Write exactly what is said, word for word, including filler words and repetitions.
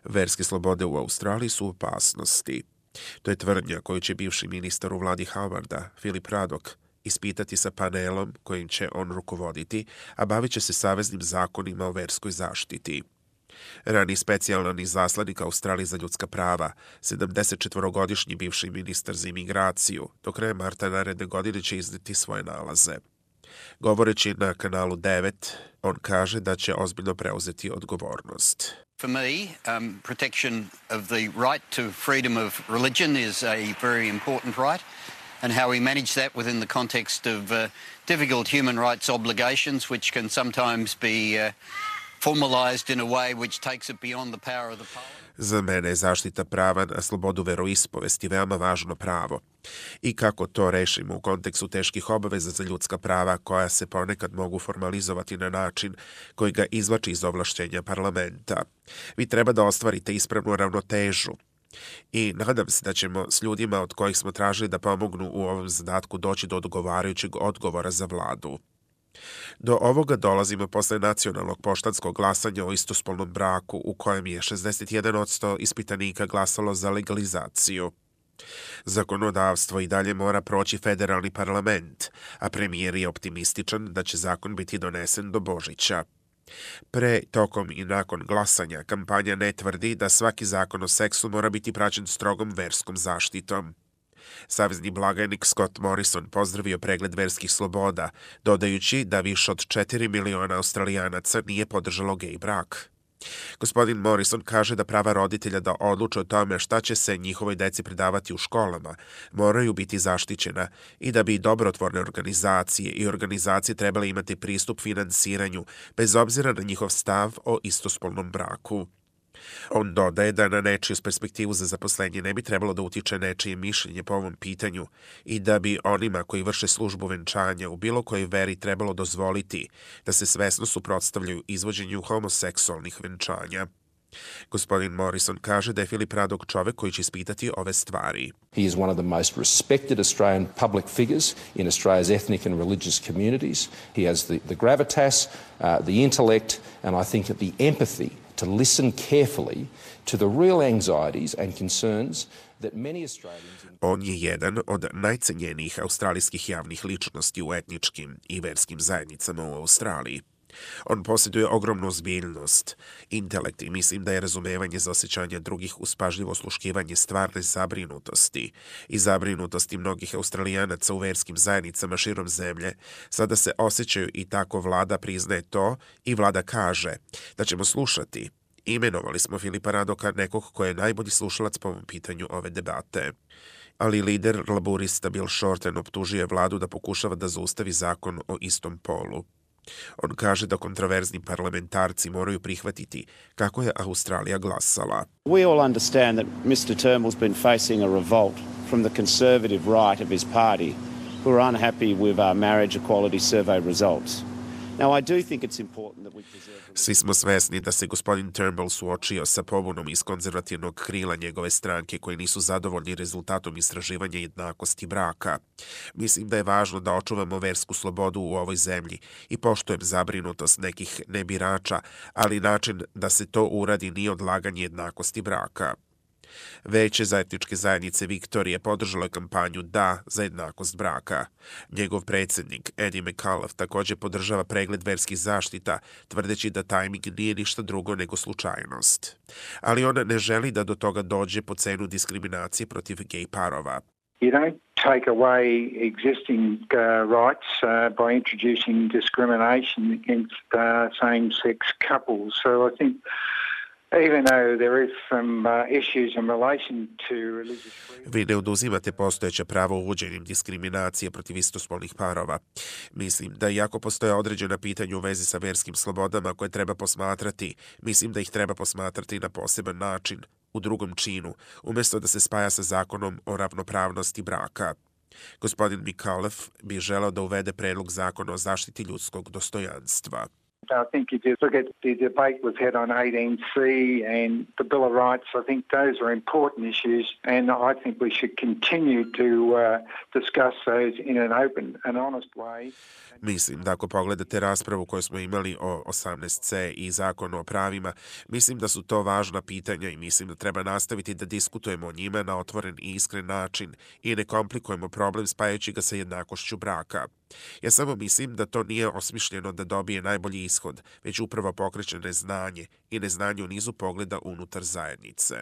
Verske slobode u Australiji su u opasnosti. To je tvrdnja koju će bivši ministar u vladi Howarda, Philip Ruddock, ispitati sa panelom kojim će on rukovoditi, a bavit će se saveznim zakonima o verskoj zaštiti. Rani specijalni izaslanik Australije za ljudska prava, sedamdesetčetvorogodišnji bivši ministar za imigraciju, do kraja marta naredne godine će izneti svoje nalaze. Govoreći na kanalu devet, on kaže da će ozbiljno preuzeti odgovornost. For me, um, protection of the right to freedom of religion is a very important right, and how we manage that within the context of uh, difficult human rights obligations, which can sometimes be uh, formalized in a way which takes it beyond the power of the parliament. Za mene je zaštita prava na slobodu veroispovesti veoma važno pravo. I kako to rešimo u kontekstu teških obaveza za ljudska prava koja se ponekad mogu formalizovati na način koji ga izvlači iz ovlašćenja parlamenta. Vi treba da ostvarite ispravnu ravnotežu. I nadam se da ćemo s ljudima od kojih smo tražili da pomognu u ovom zadatku doći do odgovarajućeg odgovora za vladu. Do ovoga dolazimo posle nacionalnog poštanskog glasanja o istospolnom braku u kojem je šezdeset jedan posto ispitanika glasalo za legalizaciju. Zakonodavstvo i dalje mora proći federalni parlament, a premijer je optimističan da će zakon biti donesen do Božića. Pre, tokom i nakon glasanja kampanja ne tvrdi da svaki zakon o seksu mora biti praćen strogom verskom zaštitom. Savezni blagajnik Scott Morrison pozdravio pregled verskih sloboda, dodajući da više od četiri miliona Australijanaca nije podržalo gej brak. Gospodin Morrison kaže da prava roditelja da odluče o tome šta će se njihovoj deci predavati u školama moraju biti zaštićena i da bi dobrotvorne organizacije i organizacije trebale imati pristup finansiranju bez obzira na njihov stav o istospolnom braku. On dodaje da na nečiju perspektivu za zaposlenje ne bi trebalo da utiče nečije mišljenje po ovom pitanju i da bi onima koji vrše službu venčanja u bilo kojoj veri trebalo dozvoliti da se svesno suprotstavljaju izvođenju homoseksualnih venčanja. Gospodin Morrison kaže da je Philip Ruddock čovek koji će ispitati ove stvari. He is one of the most respected Australian public figures in Australia's ethnic and religious communities. He has the, the gravitas, uh, the intellect, and I think the empathy to listen carefully to the real anxieties and concerns that many Australians... On je jedan od najcenjenijih australijskih javnih ličnosti u etničkim i verskim zajednicama u Australiji. On posjeduje ogromnu ozbiljnost, intelekt i mislim da je razumevanje za osjećanje drugih uz pažljivo osluškivanje stvarne zabrinutosti i zabrinutosti mnogih Australijanaca u verskim zajednicama širom zemlje, sada se osjećaju i tako vlada priznaje to i vlada kaže da ćemo slušati. Imenovali smo Philipa Ruddocka, nekog ko je najbolji slušalac po ovom pitanju ove debate. Ali lider laburista Bill Shorten optužuje vladu da pokušava da zaustavi zakon o istom polu. On kaže da kontroverzni parlamentarci moraju prihvatiti kako je Australija glasala. We all understand that mister Turnbull's been facing a revolt from the conservative right of his party who are unhappy with our marriage equality survey results. Now, I do think it's important that we preserve... Svi smo svesni da se gospodin Turnbull suočio sa pobunom iz konzervativnog krila njegove stranke koji nisu zadovoljni rezultatom istraživanja jednakosti braka. Mislim da je važno da očuvamo versku slobodu u ovoj zemlji i poštujem zabrinutost nekih nebirača, ali način da se to uradi nije odlaganje jednakosti braka. Veće za etničke zajednice Viktorije podržalo je kampanju Da za jednakost braka. Njegov predsjednik Eddie McAuliffe također podržava pregled verskih zaštita, tvrdeći da tajming nije ništa drugo nego slučajnost. Ali on ne želi da do toga dođe po cenu diskriminacije protiv gej parova. You don't take away existing uh, rights uh, by introducing discrimination against uh, same-sex couples. So I think even though there is some uh, issues in relation to religious freedom. Vi ne oduzimate postojeće pravo uvođenjem diskriminacije protiv istospolnih parova. Mislim da iako postoje određena pitanja u vezi sa verskim slobodama koje treba posmatrati, mislim da ih treba posmatrati na poseban način, u drugom činu, umjesto da se spaja sa zakonom o ravnopravnosti braka. Gospodin McAuliffe bi želeo da uvede predlog zakona o zaštiti ljudskog dostojanstva. I think if you look at the debate we've had on eighteen C and the Bill of Rights, I think those are important issues, and I think we should continue to uh, discuss those in an open and honest way. Mislim da ako pogledate raspravu koju smo imali o osamnaest C i zakonu o pravima, mislim da su to važna pitanja i mislim da treba nastaviti da diskutujemo o njima na otvoren i iskren način i ne komplikujemo problem spajajući ga sa jednakošću braka. Ja samo mislim da to nije osmišljeno da dobije najbolji ishod, već upravo pokreće neznanje i neznanje u nizu pogleda unutar zajednice.